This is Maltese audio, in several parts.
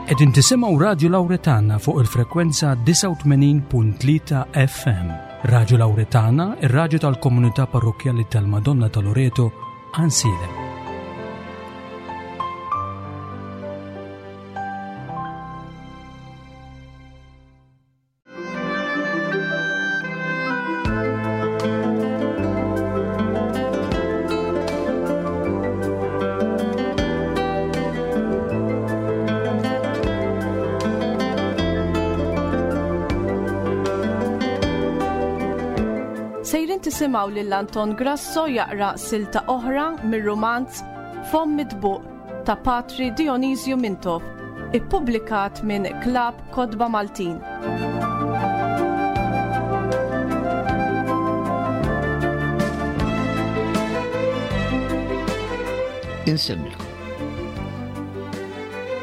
Qegħdin tisimgħu Radju Lawretana fuq il-frekwenza 89.3 FM. Radju Lawretana, ir-radju tal-komunità parrokkjali tal-Madonna ta' Loreto, Ansilem. Sejrin tisimgħu lil Anton Grasso jaqra silta oħra mir-rumanz Fomm Mitbuq ta' Patri Dionisju Mintoff, ippubblikat minn Klabb Kotba Maltin. Insemmilkom.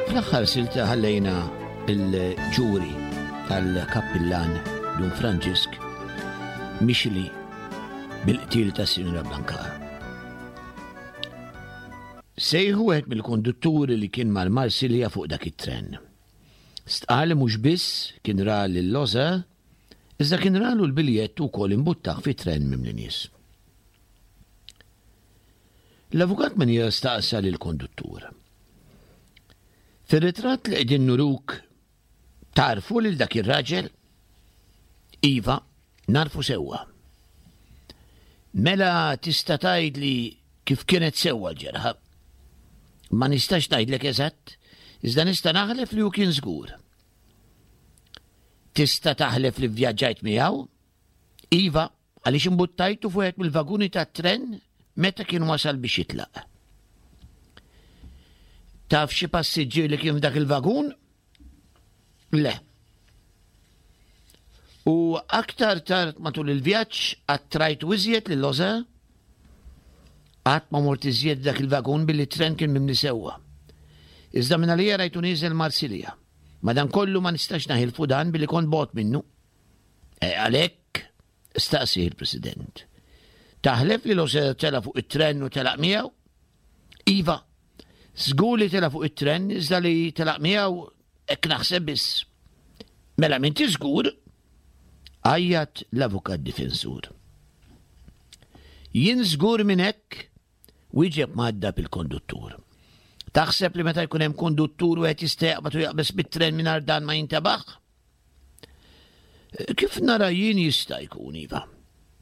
Fl-aħħar silta ħallejna il-ġuri tal-kappillan Dun Franġisk mixli bil-qtil ta' Sinjura Blankar. Sejħu wieħed mill-kondutturi li kien mal-Marsilja fuq dak it-tren. Stqarr li mhux biss kien ra lil Loza, iżda kien ralu l-biljett u wkoll imbuttah fi tren mimli nies. L-Avukat Manier staqsa lill-konduttur. Fir-ritratt li qegħdin nuruk tagħrfu lil dak ir-raġel? Iva, nagħrfu sewwa. Mela tista' tgħidli kif kienet sewwa l-ġerħa? Ma nistax ngħidlek eżatt, iżda nista' naħlef li hu kien żgur. Tista' taħlef li vvjaġġajt miegħu? Iva, għaliex imbuttajtu fuq mill-vaguni tat-tren meta kien wasal biex jitlaq. Taf xi passiġġier li kien f'dak il-vagun? Le. U aktar tard matul il-vjaġġ qatt rajtu iżjed lil Loza? Qatt ma mort iżjed f'dak il-vagun billi t-tren kien mimli sewwa. Iżda minn għalija rajtu nieżel Marsilja. Madankollu ma nistax naħilfu dan billi kont bogħod minnu. E għalhekk, staqsieh il-President. Taħlef li Loza tela' fuq it-tren u telaq miegħu? Iva, żgur li tela' fuq it-tren iżda li telaq miegħu Hekk naħseb biss. Mela m'inti żgur? Għajjat l-avukat difensur. Jien żgur minn hekk, wieġeb mgħaddab il-konduttur. Taħseb li meta jkun hemm konduttur wieħed jista' jaqbad u jaqbeż bit-tren mingħajr dan ma jintebaħ? Kif nara jien jista' jkun, iva.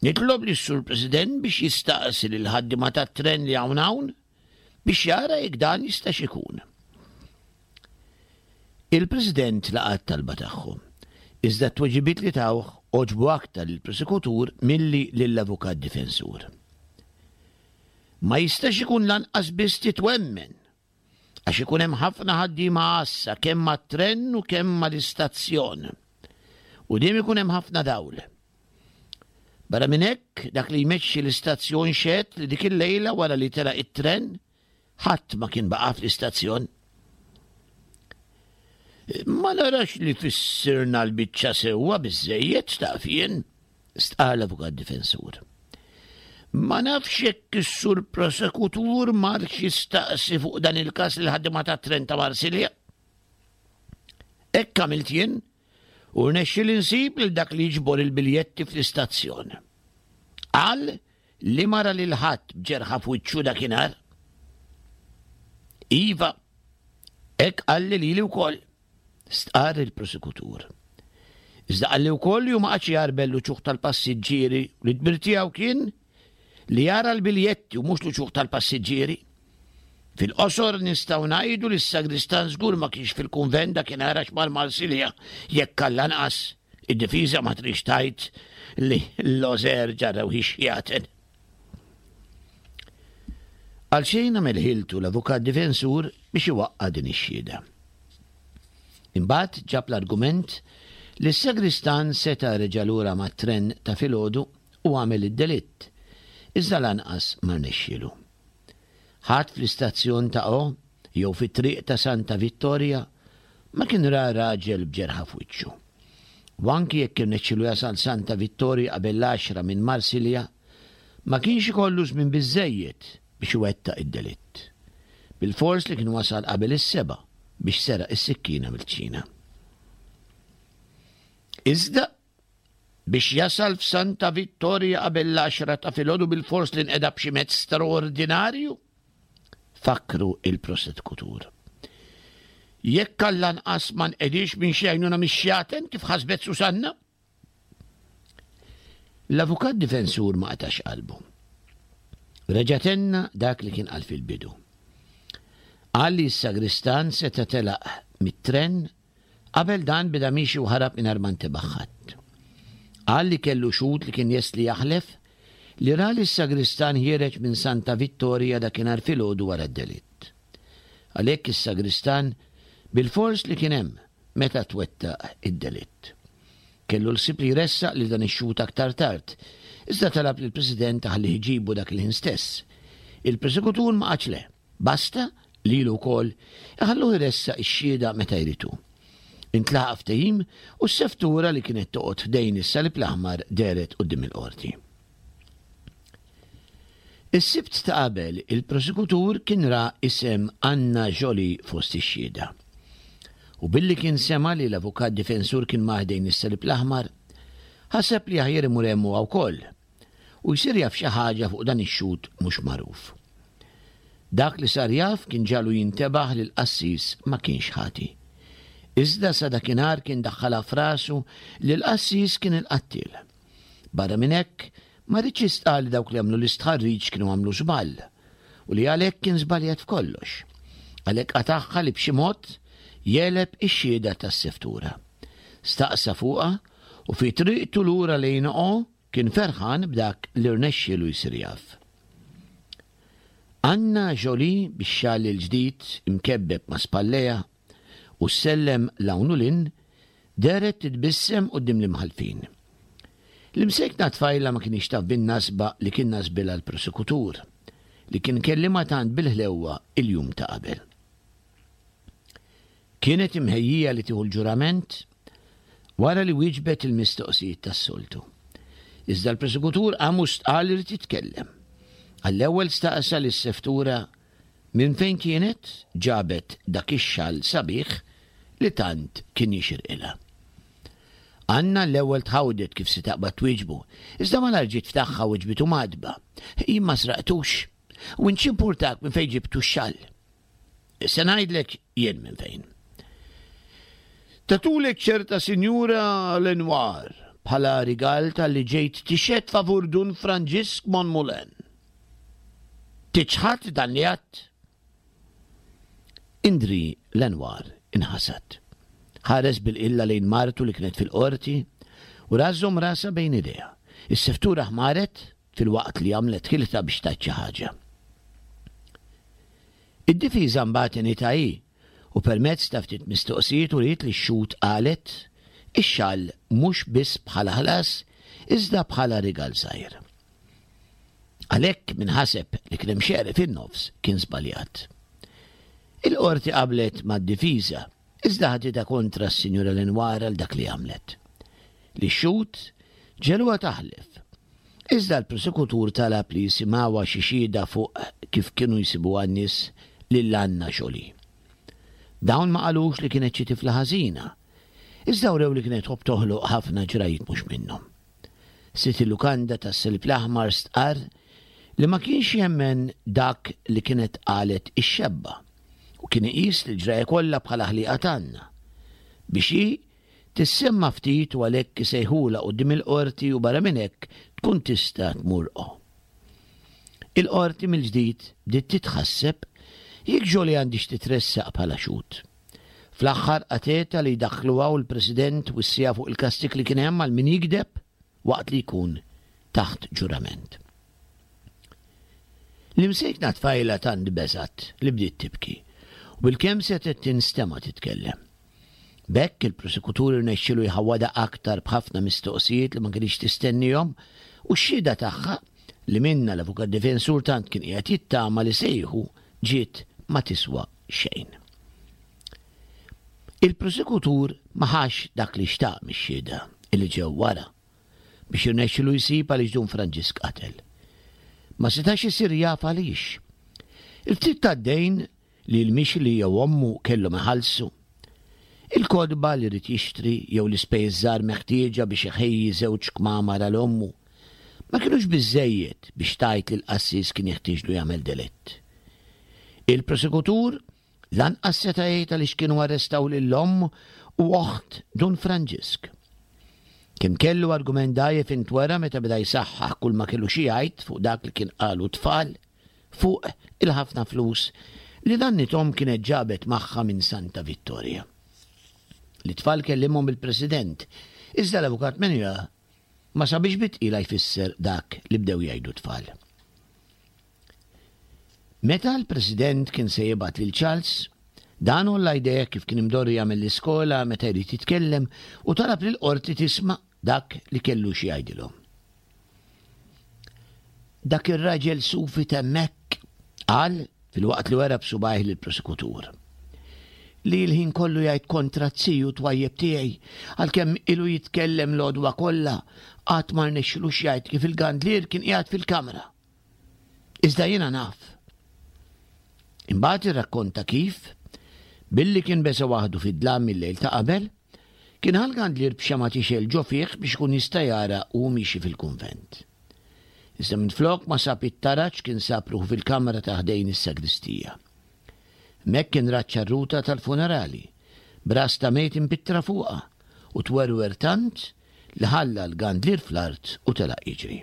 Nitlob lis sur President biex jistaqsi lil ħaddiema tat-tren li hawn hawn biex jara jekk dan jistax ikun. Il-President laqa' t-talba tagħhom, iżda t-tweġibiet li tawh għoġbu aktar lill-prosekutur milli lill-avukat difensur. Ma jistax ikun lanqas biss titwemmen, għax ikun hemm ħafna ħaddiema għassa kemm mat-tren u kemm mal-istazzjon. U dejjem ikun hemm ħafna dawl. Barra minn hekk, dak li jmexxi l-istazzjon xehed li dik il-lejla wara li telaq it-tren, ħadd ma kien baqa' fl-istazzjon. Ma narax li fissirna l-biċċa sewwa biżżejjed taf jien, stqarr l-avukat difensur. Ma nafx jekk is-sur prosekutur marx jistaqsi fuq dan il-każ lil ħaddiema tat-tren ta' Marsilja. Hekk għamilt jien u rnexxieli nsib lil dak li jiġbor il-biljetti fl-istazzjon. Qal li ma ra lil ħadd b'ġerħa f'wiċċu dakinhar. Iva, hekk qalli lili wkoll, stqarr il-prosekutur. Iżda qalli wkoll li hu ma qagħadx jgħarbel l-uċuħ tal-passiġġieri u li d-dmir tiegħu kien li jara l-biljetti u mhux l-uċuħ tal-passiġġieri. Fil-qosor nistgħu ngħidu li s-sagristan żgur ma kienx fil-kunvent dakinhar għax mar Marsilja jekk għall-anqas id-difiża ma tridx tgħid li l-Lożer ġarrew ix-xjaten. Għalxejn għamel ħiltu l-avukat difensur biex iwaqqa' din ix-xhieda. Imbagħad ġab l-argument li s-sagristan seta' reġa' lura mat-tren ta' filgħodu u għamel id-delitt, iżda lanqas ma rnexxielu. Ħadd fl-istazzjon ta' O jew fit-triq ta' Santa Vittoria ma kien ra raġel b'ġerħa f'wiċċu. U anki jekk irnexxielu jasal Santa Vittoria qabel l-għaxra minn Marsilja, ma kienx ikollu żmien biżżejjed biex iwettaq id-delitt. Bilfors li kien wasal qabel is-sebgħa. biex seraq is-sikkina mill-kċina. Iżda biex jasal f'Santa Vittoria qabel l-għaxra ta' filgħodu bilfors li nqeda b'xi mezz straordinarju? Fakkru il-prosekutur. Jekk għall-anqas ma nqediex minn xi għajnuna mix-xjaten kif ħasbet Susanna? L-avukat difensur ma qatax qalbu. Reġa' tenna dak li kien qal fil-bidu. Qal li s-sagristan seta' telaq mit-tren qabel dan beda miexi u ħarab mingħajr ma ntebaħ ħadd. Qal li kellu xhud li kien lest li jaħlef li ra lis-sagristan ħiereġ minn Santa Vittoria dakinhar filgħodu wara d-delitt. Għalhekk is-sagristan bilfors li kien hemm meta twettaq id-delitt. Kellu l-ħsieb li jressaq lil dan ix-xhud aktar tard, iżda talab lill-President iħallih iġibu dak il-ħin stess. Il-prosekutur ma qatx le, basta lilu wkoll iħalluh iressaq ix-xhieda meta jrid hu. Intlaħaq ftehim u s-seftura li kienet toqgħod ħdejn is-Salib l-Aħmar dehret quddiem il-Qorti. Is-Sibt ta' qabel, il-prosekutur kien ra isem Anna Joly fost ix-xhieda. U billi kien sema' li l-avukat difensur kien mar ħdejn is-Salib l-Aħmar, ħaseb li aħjar imur hemm huwa wkoll u jsir jaf xi ħaġa fuq dan ix-xhud mhux magħruf. Dak li sar jaf kien ġagħlu jintebaħ li l-qassis ma kienx ħati. Iżda sa dakinhar kien daħħalha f'rasu li l-qassis kien il-qattiel. Barra minn hekk, ma riedx jistqarr li dawk li għamlu l-istħarriġ kienu għamlu żball u li għalhekk kien żbaljat f'kollox. Għalhekk qatagħha li b'xi mod jegħleb ix-xhieda tas-seftura. Staqsa fuqha u fi triqtu lura lejn O kien ferħan b'dak li rnexxielu jsir jaf. Anna Jolie bix-xall il-ġdid imkebbeb ma' spallejha u ssellem 'l hawn u 'l hinn, dehret titbissem quddiem l-imħallfin. L-imsejkna tfajla ma kinitx taf bin-nasba li kien nasbilha l-prosekutur, li kien kellimha tant bil-ħlewwa il-jum ta' qabel. Kienet imħejjija li tieħu l-ġurament wara li wieġbet il-mistoqsijiet tas-soltu. Iżda l-prosekutur qam u stqarr li ried jitkellem. Għall-ewwel staqsa lis-seftura Minn fejn kienet ġabet dak ix-xall sabiħ li tant kien jixirqilha? Anna l-ewwel tħawdet kif se taqbad twieġbu, iżda malajr ġiet f'tagħha u wiġbitu mgħaddba. Jien ma sraqtux. U int x'impurtak minn fejn ġibtu x-xall? Se ngħidlek jien minn fejn. Tatulek ċerta Sinjura Lenoir bħala rigal talli ġejt tixhed favur Dun Franġisk Monmoulin. Tiċħad dan li għedt? Indri Lenoir inħasad. Ħares bil-qilla lejn martu li kienet fil-qorti u ra żżomm rasha bejn idejha. Is-seftura ħmaret filwaqt li għamlet ħilitha biex tgħid xi ħaġa. Id-difiża mbagħad għenitha hi u permezz ta' ftit mistoqsijiet uriet li x-xhud qalet ix-xall mhux biss bħala ħlas iżda bħala rigal żgħir. Għalhekk min ħaseb li kien hemm xeri fin-nofs kien żbaljat. Il-Qorti qablet mad-difiża, iżda ħaditha kontra s-Sinjura Lenoir għal dak li għamlet. Lix-xhud ġegħluha taħlef. Iżda l-prosekutur talab li jisimgħuha xi xhieda fuq kif kienu jsibuha n-nies lil Anna Jolie. Dawn ma qalux li kienet xi tifla ħażina, iżda wrew li kienet tħobb toħloq ħafna ġrajjiet mhux minnhom. Sid il-lukanda tas-Salib l-Aħmar stqarr li ma kienx jemmen dak li kienet qalet ix-xebba u kien iqis l-ġrajja kollha bħala ħliqa t'Anna biex hi tissemma ftit u għalhekk isejħulha quddiem il-qorti u barra minn hekk tkun tista' tmur o. Il-qorti mill-ġdid bdiet titħasseb jekk Jolie għandhiex titressaq bħala xhud. Fl-aħħar qatgħetha li jdaħħluha u l-President wissiha fuq il-kastig li kien hemm għal min jigdeb waqt li jkun taħt ġurament. L-imsejkna tfajla tant beżgħet li bdiet tibki u bilkemm setgħet tinstema' titkellem. B'hekk il-prosekutur irnexxielu jħawwadha aktar b'ħafna mistoqsijiet li ma kinitx tistennihom u x-xhieda tagħha li minnha l-avukat difensur tant kien qiegħed jittama li se jieħu ġiet ma tiswa xejn. Il-prosekutur ma ħax dak li xtaq mix-xhieda li ġew wara biex irnexxilu jsib għaliex Dun Franġisk qatel. Ma setax isir jaf għaliex. Il-ftit tad-dejn. li l-mixli jew ommu kellhom iħallsu, il-kotba li ried jixtri jew l-ispejjeż żgħar meħtieġa biex iħejji żewġ kmamar għal ommu, ma kinux biżżejjed biex tgħid li l-qassis kien jeħtieġlu jagħmel delitt. Il-prosekutur lanqas seta' jgħid għaliex kienu arrestaw lil omm u oħt Dun Franġisk. Kemm kellu argument dgħajjef intwera meta beda jsaħħaħ kull ma kellu xi jgħid fuq dak li kien qalu t-tfal fuq il-ħafna flus li nannithom kienet ġabet magħha minn Santa Vittoria. Lit-tfal kellimhom il-President, iżda l-Avukat Menua ma sabiex bi tqila jfisser dak li bdew jgħidu t-tfal. Meta l-President kien se jibgħat lil Charles, dan għolla jdejh kif kien imdorri jagħmel l-iskola meta jrid jitkellem u talab lill-qorti tisma' dak li kellu xi jgħidilhom. Dak ir-raġel sufi t'hemmhekk, qal filwaqt li wera b'subgħajh lill-prosekutur. Li l-ħin kollu jgħid kontra t-ziju twajjeb tiegħi, għalkemm ilu jitkellem l-għodwa kollha, qatt ma rnexxilux jgħid kif il-gandlier kien qiegħed fil-kamra. Iżda jiena naf. Imbagħad irrakkonta kif, billi kien beża' waħdu fid-dlam il-lejl ta' qabel, kien ħa l-gandlier b'xemgħa tixgħel ġo fih biex ikun jista' jara u hu miexi fil-kunvent. Iżda minflok ma sab it-taraġ kien sab ruħu fil-kamra ta' ħdejn is-sagristija. Hemmhekk kien ra ċ-ċarruta tal-funerali, b'ras ta' mejt impittra fuqha, u twerwer tant li ħalla l-gandlier fl-art u telaq jiġri.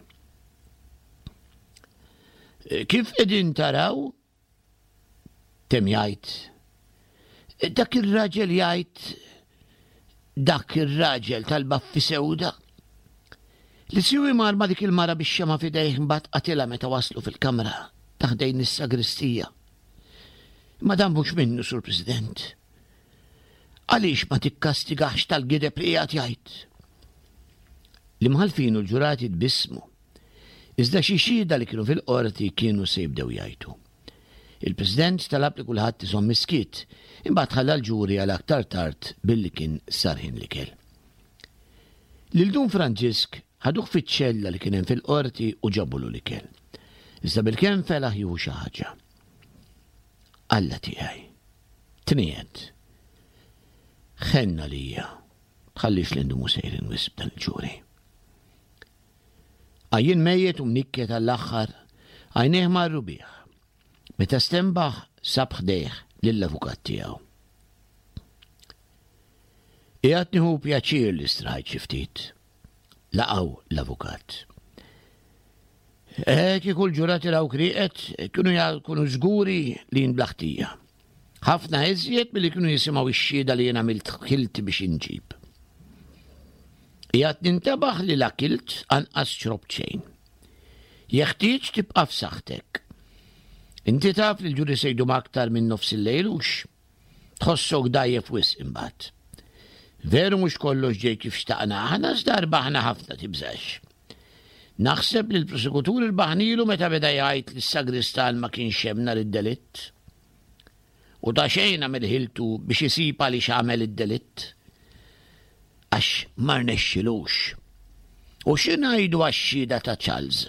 Kif qegħdin taraw, temm jgħid, dak ir-raġel jgħid dak ir-raġel tal-baffi sewda li siwi mar ma' dik il-mara bix-xema f'idejh imbagħad qatilha meta waslu fil-kamra ta' ħdejn is-sagristija. Imma dan mhux minnu, Sur President. Għaliex ma tikkastigax tal-gideb li qiegħed jgħid? L-imħallfin u l-ġurati tbissmu. Iżda xi xhieda li kienu fil-qorti kienu se jibdew jgħajtu. Il-President talab li kulħadd iżomm is-skiet, imbagħad ħalla l-ġuri għal aktar tard billi kien sar ħin l-ikel. Lil Dun Franġisk ħaduh fiċ-ċella li kien hemm fil-qorti u ġabulu l-ikel. Iżda bilkemm felaħ jieħu xi ħaġa. Alla tiegħi, tniegħed. Ħenn għalija, tħallix li ndumu sejrin wisq b'dan il-ġuri. Għajjien mejjet u mnikket għall-aħħar, għajnejh marru bih. Meta stenbaħ sab ħdejh lill-avukat tiegħu. Qiegħed nieħu pjaċir li straħajt xi ftit. Laqgħu l-avukat. Eh, kieku l-ġurati rawk rieqed, kienu jkunu żguri li jien bla ħtija. Ħafna iżjed milli kienu jisimgħu x-xhieda li jien għamilt ħilti biex inġib. Qiegħed nintebaħ li la kilt anqas xrobt xejn. Jeħtieġ tibqa' f'saħħtek. Inti taf li l-ġuri se jdum aktar minn nofs il-lejl hux? Tħossok dgħajjef wisq imbagħad. Veru mhux kollox ġej kif xtaqna aħna iżda rbaħna ħafna tibżax. Naħseb li l-prosekutur irbaħnilu meta beda jgħid li s-sagristan ma kienx hemm nhar id-delitt. U ta' xejn għamel ħiltu biex isib għaliex għamel id-delitt. Għax ma rnexxilux. U xi ngħidu għax-xhieda ta' Charles?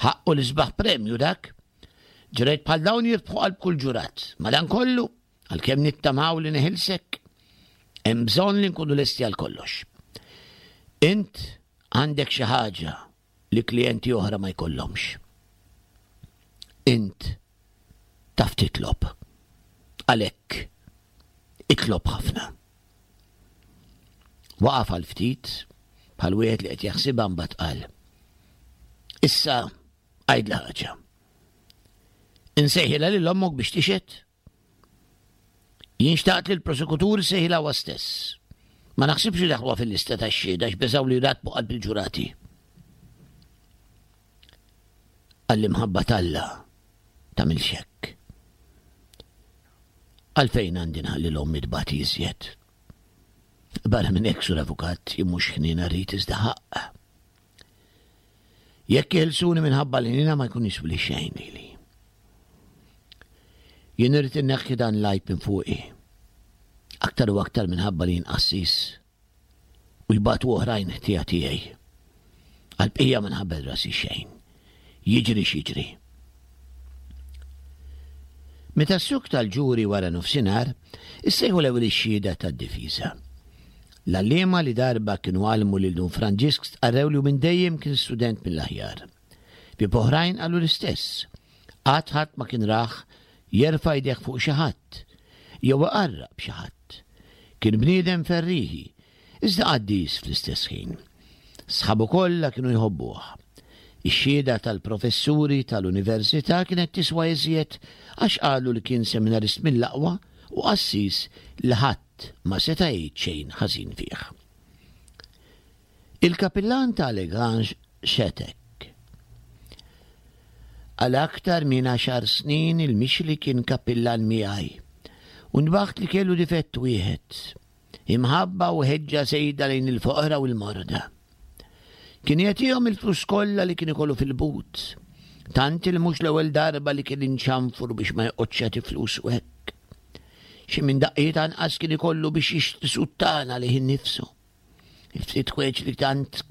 Ħaqqu l-isbaħ premju dak. Ġrajt bħal dawn jirbħu qalb kull ġurat. Madankollu, għalkemm nittamaw li neħilsek, hemm bżonn li nkunu lesti għal kollox. Int għandek xi ħaġa li klijenti oħra ma jkollhomx. Int taf titlob. Għalhekk itlob ħafna. Waqaf għal ftit bħal wieħed li qed jaħsibha mbagħad qal. Issa għidli ħaġa. Insejħilha lil ommok biex tixhed? Jien xtaqt li l-prosekutur isejħilha huwa stess. Ma naħsibx li daħluha fil-lista tax-xhieda għax beżgħu li jrattbu qalb il-ġurati. Għall-imħabba t'Alla tagħmilx hekk. Għalfejn għandi nħalli l-ommi tbati iżjed? Barra minn hekk, Sur Avukat, jien mhux ħniena rrid iżda ħaqq. Jekk jeħilsuni minħabba l-ħniena ma jkun jiswili xejn lili. Jien irrid inneħħi dan l-għajb minn fuqi. Aktar u aktar minħabba li jien qassis u jbatu oħrajn ħtija tiegħi. Għall-bqija ma nħabbel rasi xejn. Jiġri x'jiġri. Meta ssukta l-ġuri wara nofsinhar, issejħu l-ewwel ix-xhieda tad-difiża. L-għalliema li darba kienu għallmu lil Dun Franġisk stqarrew li hu minn dejjem kien student mill-aħjar. Bieb oħrajn qalu l-istess. Qatt ħadd ma kien rah jerfa' jdejh fuq xi ħadd, jew iqarraq b'xi ħadd. Kien bniedem ferrieħi, iżda qaddis fl-istess ħin. Sħabu kollha kienu jħobbuh. Ix-xhieda tal-professuri tal-università kienet tiswa iżjed għax qalu li kien seminarist mill-aqwa u qassis li ħadd ma seta' jgħid xejn ħażin fih. Il-kapillan ta' Legrange xehed hekk. Għal aktar minn għaxar snin il-Mixli kien kapillan miegħi u nbaħt li kellu difett wieħed, imħabba u ħeġġa żejda lejn il-foqra u l-morda. Kien jagħtihom il-flus kollha li kien ikollu fil-but, tant li mhux l-ewwel darba li kien inċanfru biex ma joqgħodx jagħti flusu hekk. Xi minn daqqiet anqas kien ikollu biex jixtri suttana lih innifsu. Il-ftit ħwejġ li tant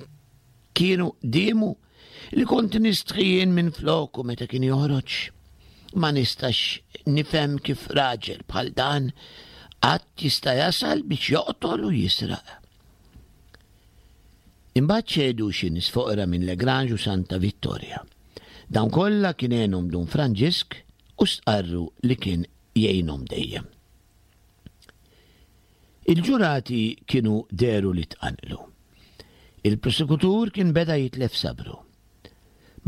kienu qdiemu li kont nistħi jien minn floku meta kien joħroġ. Ma nistax nifhem kif raġel bħal dan qatt jista' jasal biex joqtol u jisraq. Imbagħad xehdu xi nies foqra minn Legrange u Santa Vittoria. Dawn kollha kien għenhom Dun Franġisk u stqarru li kien jgħinhom dejjem. Il-ġurati kienu dehru li tqanqlu. Il-prosekutur kien beda jitlef sabru.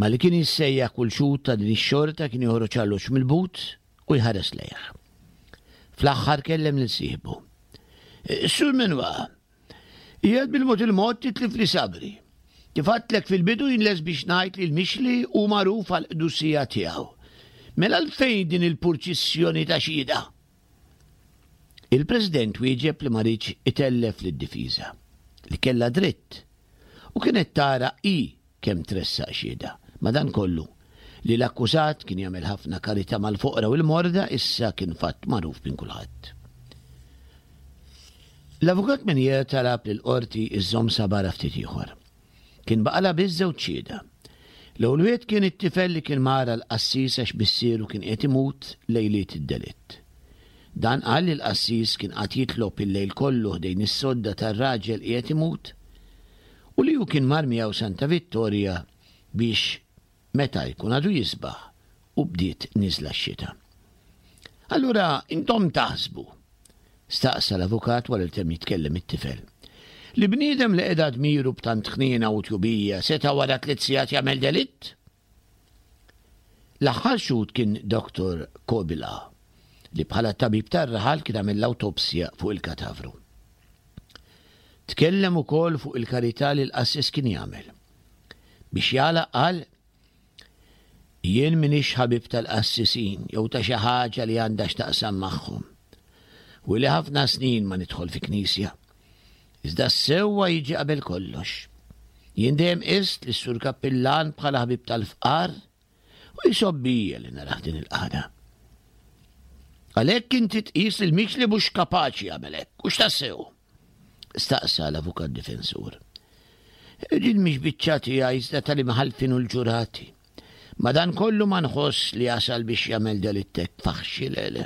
Malli kien jissejjaħ kull xhud ta' din ix-xorta kien joħroġ alloġġ mill-but u jħares lejh. Fl-aħħar kellem lil sieħbu. Sur Menwa, qiegħed bil-mod il-mod titlifli sabri. Kif għadtlek fil-bidu jien lest biex ngħid li l-Mixli hu magħruf għall-qdusija tiegħu. Mela għalfejn din il-purċissjoni ta' xhieda? Il-President wieġeb li ma riedx itellef lid-difiża, li kellha dritt, u kienet tara hi kemm tressaq xhieda. Madankollu, li l-akkużat kien jagħmel ħafna karità mal-foqra u l-morda issa kien fatt magħruf minn kulħadd. L-Avukat Menier talab lill-Qorti żżomm sabarha ftit ieħor. Kien baqalha biss żewġ xhieda. L-ewwel wieħed kien it-tifel li kien mar għall-qassis għax missieru kien qiegħed imut lejliet id-delitt. Dan qal li l-qassis kien qagħad jitlob il-lejl kollu ħdejn is-sodda tar-raġel qiegħed imut u li hu kien mar miegħu Santa Vittoria biex meta jkun għadu jisbaħ u bdiet nieżla x-xita. Allura intom taħsbu, staqsa l-avukat wara li temm jitkellem it-tifel, li bniedem li qeda dmiru b'tant ħniena u tjubija seta' wara tliet sigħat jagħmel delitt? L-aħħar xhud kien Dottor Kobila, li bħala tabib tar-raħal kien għamel l-awtopsja fuq il-katavru. Tkellem ukoll fuq il-karità li l-qassis kien jagħmel. Biex jagħlaq qal, Jien m'iniex ħabib tal-qassisin jew ta' xi ħaġa li għandha x'taqsam magħhom. U ili ħafna snin ma nidħol fi knisja. Iżda s-sewwa jiġi qabel kollox. Jien dejjem qist lis-Sur Kappillan bħala ħabib tal-fqar u jsobbija li narah din il-qagħda. Għalhekk inti tqis li l-Mixli mhux kapaċi jagħmel hekk, hux tassew? Staqsa l-avukat difensur. Din mhix biċċa tiegħi iżda tal-imħallfin u l-ġurati. Madankollu ma nħoss li jasal biex jagħmel delitt hekk faħxi le le.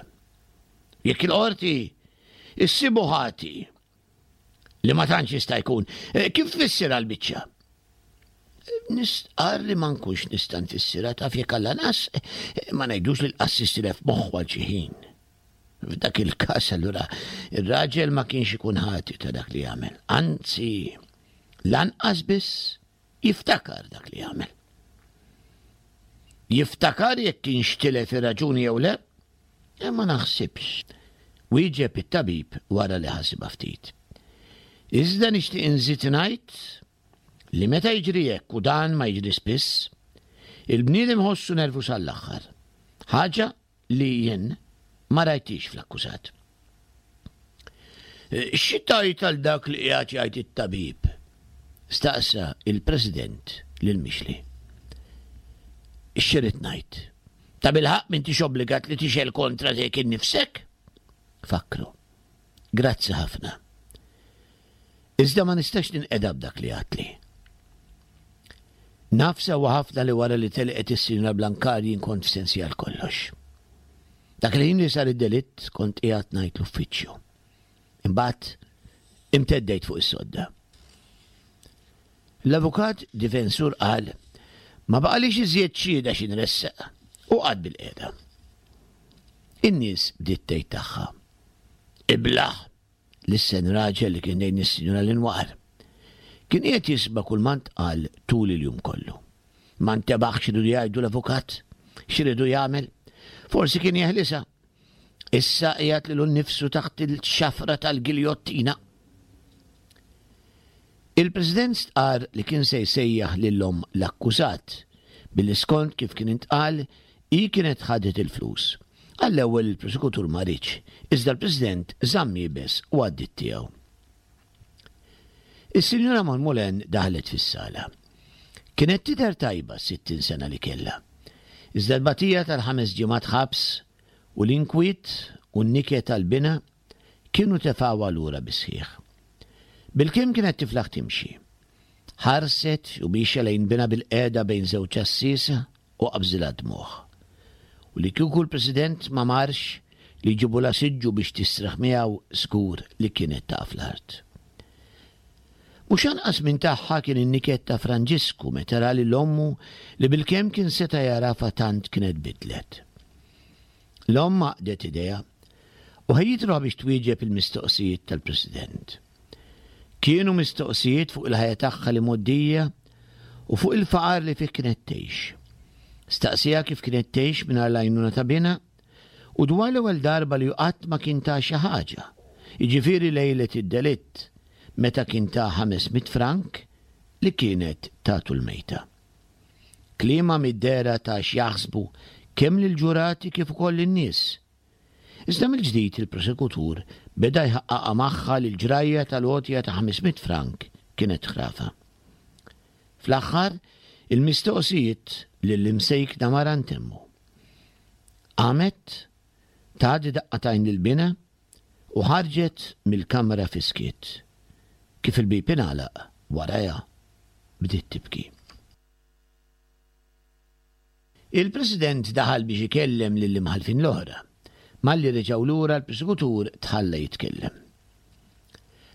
Jekk il-qorti issibu ħati li ma tantx jista' jkun, eh, kif tfissirha l-biċċa? Nistqarr li ma nkunx nista' nfissirha taf jekk Alla nas, eh, ma ngħidux li l-qassis tilef moħħu għal xi ħin. F'dak il-każ allura ir-raġel ma kienx ikun ħati ta' dak li għamel. Anzi, lanqas biss jiftakar dak li għamel. Jiftakar jekk kienx tilef ir-raġuni jew le? E ma naħsibx. Wieġeb it-tabib wara li ħasibha ftit. Iżda nixtieq inżid ngħid li meta jiġri hekk u dan ma jiġri spiss, il-bniedem ħossu nervus għall-aħħar. Ħaġa li jien ma rajtix fl-akkużat. Xi tgħid għal dak li qiegħed jgħid it-tabib? Staqsa il-President lil Mixli. X'irid ngħid? Ta' bilħaqq m'intix obbligat li tixgħel kontra tiegħek innifsek? Fakkru. Grazzi ħafna. Iżda ma nistax ninqeda b'dak li għadtli. Naf sewwa ħafna li wara li telqet is-Sinjura Blancard jien kont f'sensi għal kollox. Dak il-ħin li sar id-delitt kont qiegħed ngħid l-uffiċċju. Imbagħad imteddejt fuq is-sodda. L-avukat difensur qal ma baqalix iżjed xhieda xi nressaq u qagħad bilqiegħda. In-nies bdiet tgħid tagħha. Iblah! Lissen raġel li kien lejn is-Sinjura Linoir. Kien qiegħed jisma' kull ma ntqal tul il-jum kollu. Ma ntebaħx x'ridu jgħidu l-avukat, x'ridu jagħmel. Forsi kien jeħlisha. Issa qiegħed lilu nnifsu taħt il-xafra tal-giljottina. Il-President stqarr li kien se jsejjaħ lil omm l-akkużat, billi skont kif kien intqal, hi kienet ħadet il-flus. Għall-ewwel il-prosekutur ma riedx, iżda l-President żamm iebes u għaddiet tiegħu. Is-Sinjura Monmoulin daħlet fis-sala. Kienet tidher tajba s-60 sena li kellha. Iżda l-batija tal-ħames ġimgħat ħabs u l-inkwiet u n-niket għal binha kienu tefgħuha lura bis-sħiħ. Bilkemm kienet tiflaħ timxi. Ħarset u miexja lejn binha bilqiegħda bejn żewġ għassiesa u qabżilha d-dmugħ. U li kieku l-President ma marx li jġibulha siġġu biex tistrieħ miegħu żgur li kienet taqa' fl-art. Mhux anqas minn tagħha kien in-niket ta' Franġisku meta ra lil ommu li bilkemm kien seta' jagħrafha tant kienet bidlet. L-omm għaqdet idejha u ħejjiet ruħha biex twieġeb il-mistoqsijiet tal-President. Kienu mistoqsijiet fuq il-ħajja tagħha l-imgħoddija u fuq il-faqar li fih kienet tgħix. Staqsieha kif kienet tgħix mingħajr l-għajnuna ta' binha u dwar l-ewwel darba li qatt ma kien ta xi ħaġa, jiġifieri lejlet id-delitt, meta kien ta 500 frank li kienet tatu l-mejta. Kliemha mid-dehra ta x'jaħsbu kemm lill-ġurati kif ukoll lin-nies. Iżda mill-ġdid il-prosekutur beda jħaqqaqha magħha li l-ġrajja tal-għotja ta' 500 frank kienet ħrafa. Fl-aħħar, il-mistoqsijiet lill-imsejkna mara ntemmu. Qamet, tat daqqa t'għajn lil binha u ħarġet mill-kamra fis-skiet. Kif il-bieb ingħalaq warajha, bdiet tibki. Il-President daħal biex ikellem lill-imħallfin l-oħra. Malli reġgħu lura l-prosekutur tħalla jitkellem.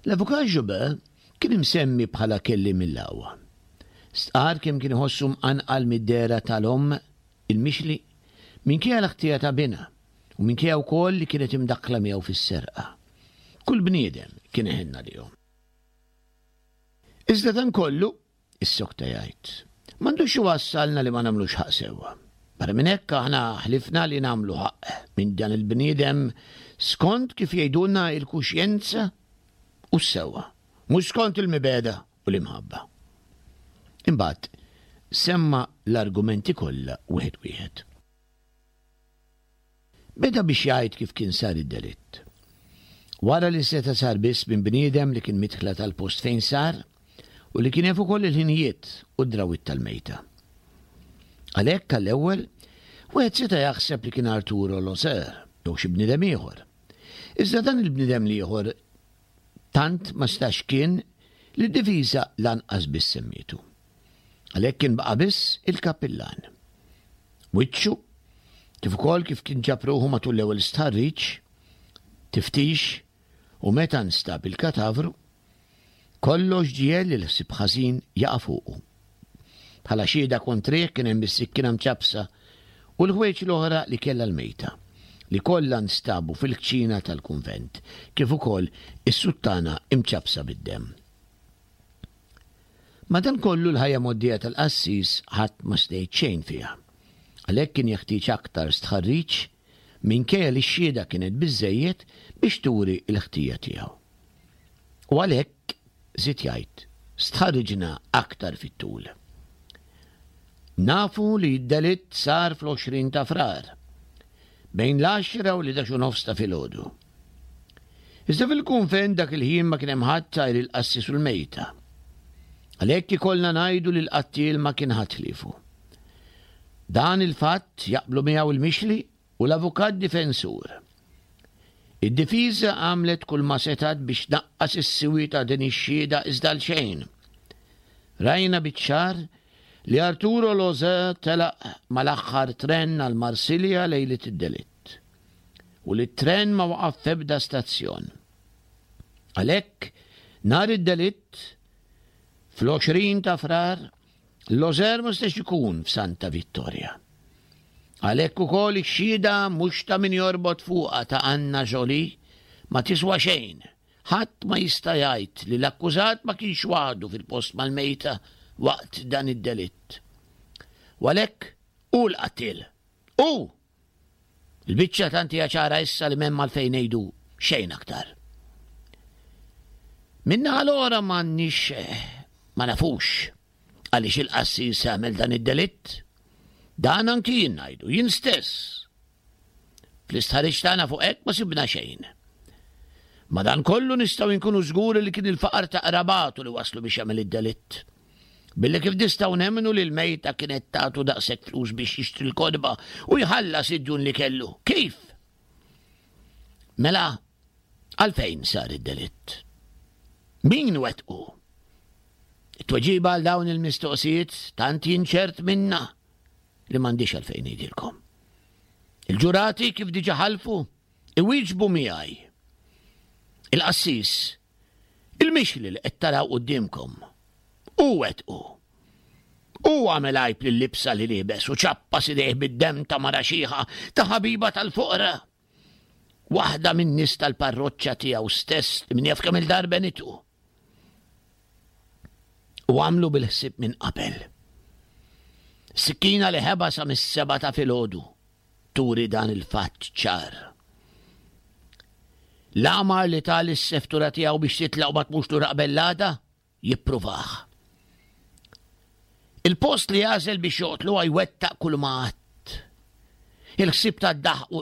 L-Avukat Joubert kien imsemmi bħala kelliem mill-aqwa. Stqarr kemm kien iħossu mqanqal mid-dehra tal-omm il-mixli minkejja l-ħtija ta' binha u minkejja wkoll li kienet imdakkla miegħu fis-serqa. Kull bniedem kien iħenn għalihom. Iżda dan kollu, issokta jgħid, m'għandux iwassalna li ma nagħmlux ħaqq sewwa. Barra minn hekk aħna ħlifna li nagħmlu ħaqq minn dan il-bniedem skont kif jgħidulna il-kuxjenza u s-sewwa, mhux skont il-mibegħda u l-imħabba. Imbagħad semma l-argumenti kollha wieħed wieħed. Beda biex jgħid kif kien sar id-delitt. Wara li seta' sar biss minn bniedem li kien midħla tal-post fejn sar u li kien jaf ukoll il-ħinijiet u d-drawwiet tal-mejta. Għalhekk għall-ewwel, wieħed seta' jaħseb li kien Arturo Loser jew xi bniedem ieħor. Iżda dan il-bniedem l-ieħor tant ma setax kien li d-difiża lanqas biss semmietu. Għalhekk kien baqa' biss il-kappillan. Wiċċu, kif ukoll kif kien ġab ruħu matul l-ewwel stħarriġ, tiftix u meta nstab il-katavru, kollox ġiegħel li l-ħsieb ħażin jaqa' fuqu. Bħala xhieda kontrih kien hemm is-sikkina mċappsa u l-ħwejġ l-oħra li kellha l-mejta, li kollha nstabu fil-kċina tal-kunvent, kif ukoll is-suttana imċappsa bid-demm. Madankollu l-ħajja mgħoddija tal-qassis ħadd ma seta' jgħid xejn fiha. Għalhekk kien jeħtieġ aktar stħarriġ minkejja li x-xhieda kienet biżżejjed biex turi l-ħtija tiegħu. U għalhekk, żied jgħid, stħarriġna aktar fit-tul. Nafu li d-delitt sar fl-20 ta' Frar, bejn l-għaxra u l-11 u nofs ta' filgħodu. Iżda fil-kunvent dak il-ħin ma kien hemm ħadd għajr il-qassis u l-mejta. Għalhekk ikollna ngħidu li l-qattiel ma kien ħadd ħliefu. Dan il-fatt jaqblu miegħu il-mixli u l-avukat difensur. Id-difiża għamlet kull ma setgħet biex tnaqqas is-siwi ta' din ix-xhieda iżda għal xejn. Rajna biċ-ċar li Arturo Loze telaq mal-aħħar tren għal Marsilja lejliet id-delitt. u li t-tren ma waqaf f'ebda stazzjon. Għalhekk, nhar id-delitt, fl-20 ta' Frar, Loser ma setax ikun f'Santa Vittoria. Għalhekk ukoll ix-xhieda mhux ta' min jorbot fuqha ta' Anna Jolie ma tiswa xejn. Ħadd ma jista' jgħid li l-akkużat ma kienx waħdu fil-post mal-mejta waqt dan id-delitt. U għalhekk hu l-qattiel. Hu! Il-biċċa tant hija ċara issa li m'hemm għalfejn ngħidu xejn aktar. Min-naħa l-oħra m'għandniex eh, ma nafux għaliex il-qassis għamel dan id-delitt. Dan anki jien ngħidu, jien stess. Fl-istħarriġ tagħna fuq hekk ma sibna xejn. Madankollu nistgħu nkunu żguri li kien il-faqar ta' qrabatu li waslu biex jagħmel id-delitt. Billi kif nistgħu nemmnu li l-mejta kienet tagħtu daqshekk flus biex jixtri l-kotba u jħallas id-djun li kellu? Kif? Mela, għalfejn sar id-delitt? Min wettqu? It-tweġiba għal dawn il-mistoqsijiet tant jien ċert minna li m'għandix għalfejn ngħidilkom. Il-ġurati kif diġa ħalfu, iwieġbu miegħi. Il-qassis, il-mixli li qed taraw quddiemkom, hu wettqu. Hu għamel għajb lil-libsa li liebes u ċappas idejh bid-demm ta' mara xiħa, ta' ħabiba tal-foqra. Waħda min-nies tal-parroċċa tiegħu stess li min jaf kemm il-darba għenitu. U għamlu bil-ħsieb minn qabel. Sikkina li ħeba sa mis-seba ta' filgħodu turi dan il-fatt ċar. L-għamar li ta lis-seftura tiegħu biex titlaq u ma tmurx lura qabel l-għada, jippruvah. Il-post li għażel biex joqtluha jwettaq kull ma għadd. Il-ħsieb tad-daħq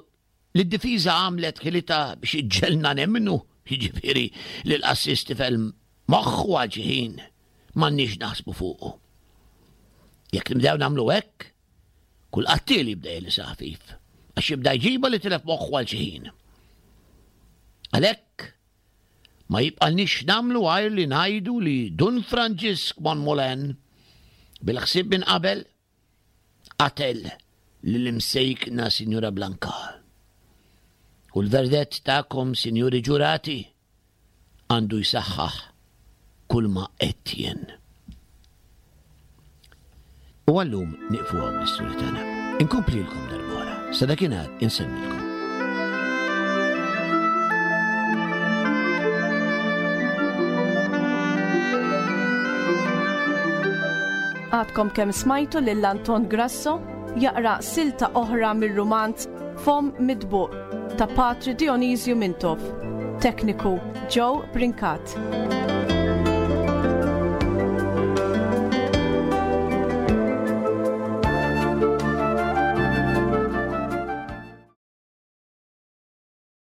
li d-difiża għamlet ħilitha biex iġġelna nemmnu, jiġifieri li l-qassis tifel moħħu għal xi ħin, m'għandniex naħsbu fuqu. Jekk nibdew nagħmlu hekk, Kull qattiel jibda jelisha ħafif, għax jibda jġibha li tilef moħħu għal xi ħin. Għalhekk, ma jibqalniex nagħmlu għajr li ngħidu li Dun Franġisk Monmolen, bil-ħsieb minn qabel, qatel lill-imsejkna Sinjura Blanca. U l-verdett tagħkom, Sinjuri Ġurati, għandu jsaħħaħ kulma għedt jien. U għallum nieqfu hawn l-istorja tagħna. Inkomplilkom darb'oħra. Sa dakinhar insellmilkom. Għadkom kemm smajtu lil Anton Grasso jaqra silta oħra mir-rumanz Fomm Mitbuq ta' Patri Dionisju Mintoff. Tekniku Joe Brincat.